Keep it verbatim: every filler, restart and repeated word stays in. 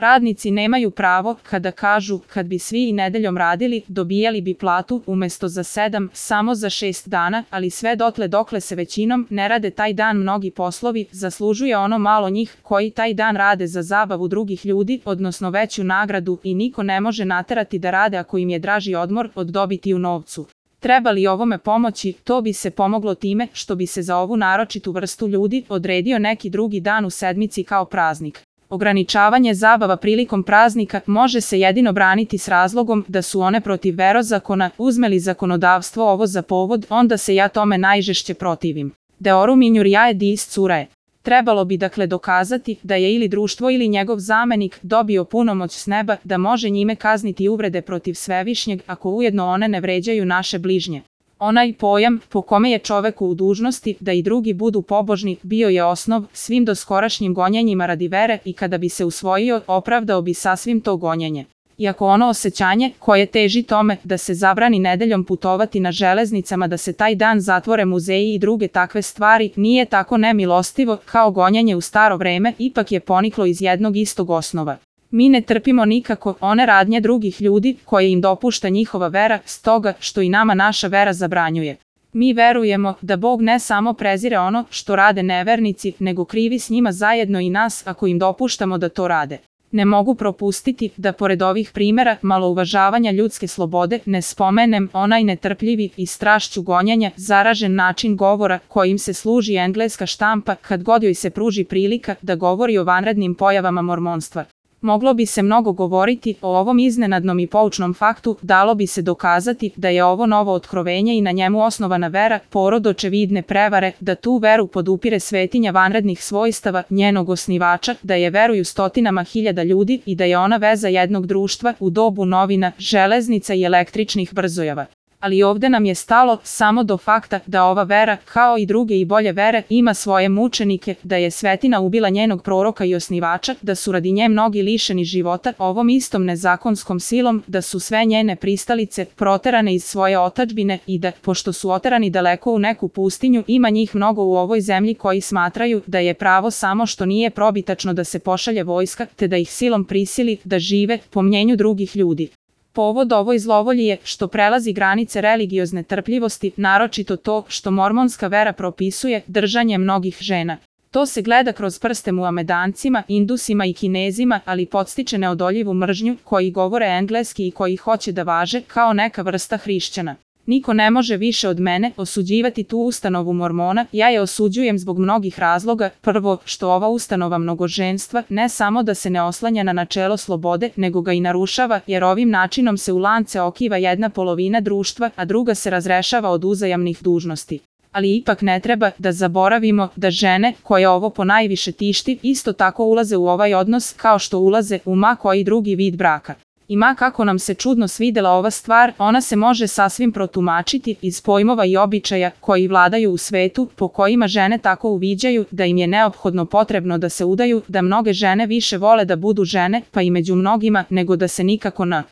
Radnici nemaju pravo, kada kažu, kad bi svi i nedeljom radili, dobijali bi platu, umesto za sedam, samo za šest dana, ali sve dotle dokle se većinom ne rade taj dan mnogi poslovi, zaslužuje ono malo njih, koji taj dan rade za zabavu drugih ljudi, odnosno veću nagradu, i niko ne može naterati da rade ako im je draži odmor od dobiti u novcu. Treba li ovome pomoći, to bi se pomoglo time što bi se za ovu naročitu vrstu ljudi odredio neki drugi dan u sedmici kao praznik. Ograničavanje zabava prilikom praznika može se jedino braniti s razlogom da su one protiv verozakona. Uzme li zakonodavstvo ovo za povod, onda se ja tome najžešće protivim. Deorum injuriae diis curae. Trebalo bi dakle dokazati da je ili društvo ili njegov zamenik dobio punomoć s neba da može njime kazniti uvrede protiv Svevišnjeg ako ujedno one ne vređaju naše bližnje. Onaj pojam po kome je čoveku u dužnosti da i drugi budu pobožni bio je osnov svim doskorašnjim gonjenjima radi vere i kada bi se usvojio, opravdao bi sasvim to gonjenje. Iako ono osjećanje koje teži tome da se zabrani nedeljom putovati na železnicama, da se taj dan zatvore muzeji i druge takve stvari, nije tako nemilostivo kao gonjenje u staro vreme, ipak je poniklo iz jednog istog osnova. Mi ne trpimo nikako one radnje drugih ljudi koje im dopušta njihova vera, stoga što i nama naša vera zabranjuje. Mi verujemo da Bog ne samo prezire ono što rade nevernici, nego krivi s njima zajedno i nas ako im dopuštamo da to rade. Ne mogu propustiti da pored ovih primjera malouvažavanja ljudske slobode ne spomenem onaj netrpljivi i strašću gonjenja zaražen način govora kojim se služi engleska štampa kad god joj se pruži prilika da govori o vanrednim pojavama mormonstva. Moglo bi se mnogo govoriti o ovom iznenadnom i poučnom faktu, dalo bi se dokazati da je ovo novo otkrovenje i na njemu osnovana vera, porod očevidne prevare, da tu veru podupire svetinja vanrednih svojstava njenog osnivača, da je veruju stotinama hiljada ljudi i da je ona veza jednog društva u dobu novina, železnica i električnih brzojava. Ali ovde nam je stalo samo do fakta da ova vera, kao i druge i bolje vere, ima svoje mučenike, da je svetina ubila njenog proroka i osnivača, da su radi nje mnogi lišeni života ovom istom nezakonskom silom, da su sve njene pristalice proterane iz svoje otadžbine i da, pošto su oterani daleko u neku pustinju, ima njih mnogo u ovoj zemlji koji smatraju da je pravo samo što nije probitačno da se pošalje vojska, te da ih silom prisili da žive po mnjenju drugih ljudi. Povod ovoj zlovolji je što prelazi granice religiozne trpljivosti, naročito to što mormonska vera propisuje držanje mnogih žena. To se gleda kroz prste Muhamedancima, Indusima i Kinezima, ali podstiče neodoljivu mržnju koji govore engleski i koji hoće da važe kao neka vrsta hrišćana. Niko ne može više od mene osuđivati tu ustanovu mormona, ja je osuđujem zbog mnogih razloga. Prvo, što ova ustanova mnogoženstva ne samo da se ne oslanja na načelo slobode, nego ga i narušava, jer ovim načinom se u lance okiva jedna polovina društva, a druga se razrešava od uzajamnih dužnosti. Ali ipak ne treba da zaboravimo da žene, koje ovo ponajviše tišti, isto tako ulaze u ovaj odnos kao što ulaze u ma koji drugi vid braka. I ma kako nam se čudno svidela ova stvar, ona se može sasvim protumačiti iz pojmova i običaja koji vladaju u svetu, po kojima žene tako uviđaju da im je neophodno potrebno da se udaju, da mnoge žene više vole da budu žene, pa i među mnogima, nego da se nikako na